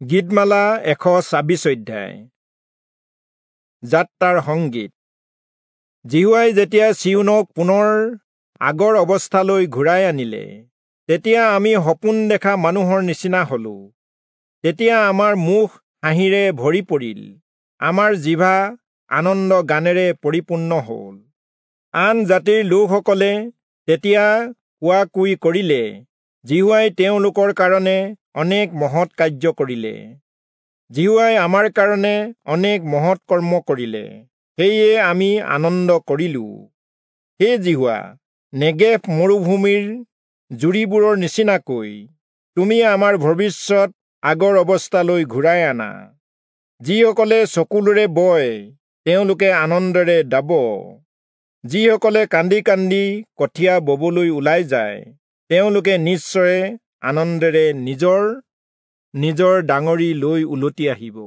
গীতমালা 126 অধ্যায়। যাত্ৰাৰ সংগীত। যিহোৱাই যেতিয়া চিয়োনক পুনৰ আগৰ অৱস্থালৈ ঘূৰাই আনিলে, তেতিয়া আমি সপোন দেখা মানুহৰ নিচিনা হলো। তেতিয়া আমাৰ মুখ হাঁহিৰে ভৰি পৰিল, আমাৰ জিভা আনন্দ গানেৰে পৰিপূৰ্ণ হ'ল। আন জাতিৰ লোকসকলে তেতিয়া কোৱা কুই কৰিলে, যিহোৱাই তেওঁলোকৰ কাৰণে অনেক মহৎ কাৰ্য কৰিলে। যিহোৱাই আমাৰ কাৰণে অনেক মহৎ কৰ্ম কৰিলে, সেয়ে আমি আনন্দ কৰিলো। হে যিহোৱা, নেগেভ মৰুভূমিৰ জুৰিবোৰৰ নিচিনাকৈ তুমি আমাৰ ভৱিষ্যত আগৰ অৱস্থালৈ ঘূৰাই আনা। যিসকলে চকুলোৰে বয়, তেওঁলোকে আনন্দেৰে দাব। যিসকলে কান্দি কান্দি কঠীয়া ববলৈ ওলাই যায়, তেওঁলোকে নিশ্চয়ে আনন্দেৰে নিজৰ নিজৰ ডাঙৰি লৈ উলটি আহিব।